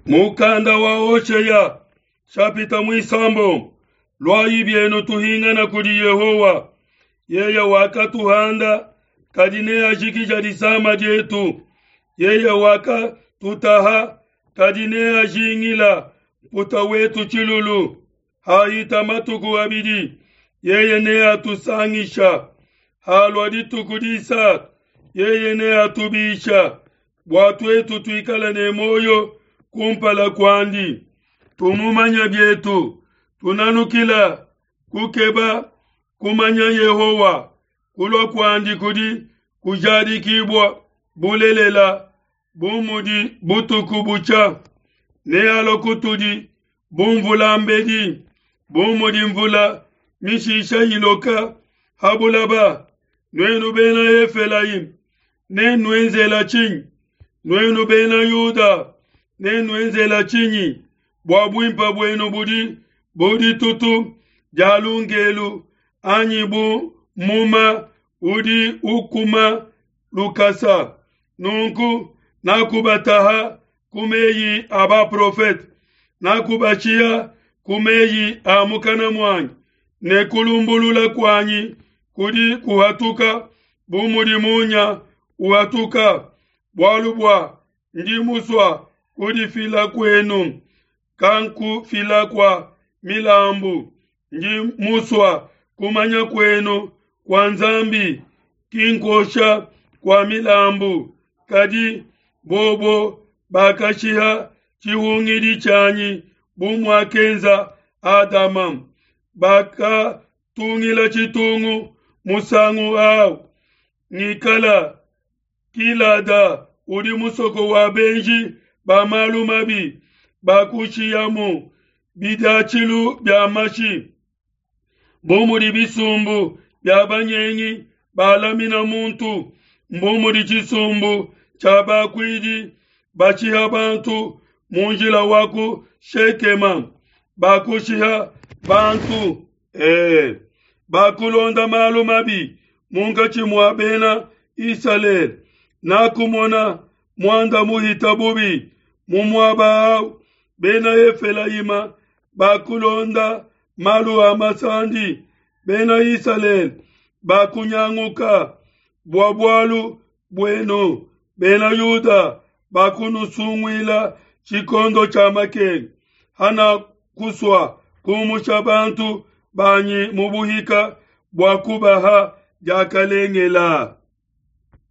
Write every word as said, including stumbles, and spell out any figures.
Mukanda wa Hoshea shapita mwisambo lwayi byenu tuhingana kuli Yehowa yeya wakatuhanda kadi neajikija disama dietu yeya wakatutaha kadi neajingila mputa wetu tshilulu hahita matuku abidi yeye neatusangisha halua dituku disatu yeye neatubisha bua tuetu tuikale ne moyo kumpala kuandi tumumanya bietu tunanukila kukeba kumanya Yehowa kulua kuandi kudi kujadikibua bulelela bu mudi butuku butshia nealue kutudi bu mvula mbedi bu mudi mvula mishisha iloka ha bulaba nuenu bena Efelayima nenuenzela tshinyi nuenu bena Yuda nenuenzela tshinyi bua buimpe buenu budi bu ditutu dia lungelu anyi bu muma udi ukuma lukasa nunku nakubataha ku meyi a baprofete nakubashiya ku meyi a mukana muanyi ne kulumbulula kuanyi kudi kuhatuka bu mudi munya uhatuka bualu bua ndi musua kudifila kuenu kankufila kua milambu ndi musua kumanya kuenu kua Nzambi kinkosha kua milambu kadi bobo bakashiha tshihungidi tshianyi bu muakenza Adama bakatungila tshitungu musangu au ngikala Kilada udi musoko wa benji ba malu mabi bakushiyamu bidiatshilu bia mashi bu mudi bisumbu bia banyengi balamina muntu mbu mudi tshisumbu tshia bakuidi bashiha bantu mu njila wa ku Shekema bakushiha bantu eh, bakulonda malu mabi munkatshi mua bena Isalele nakumona muanda muhita bubi mu muaba au bena Efelayima bakulonda malu a masandi bena Isalele bakunyanguka bua bualu buenu bena Yuda bakunusunguila tshikondo tshia makenga hana kusua kumusha bantu banyi mu buhika bua kubaha diakalengela.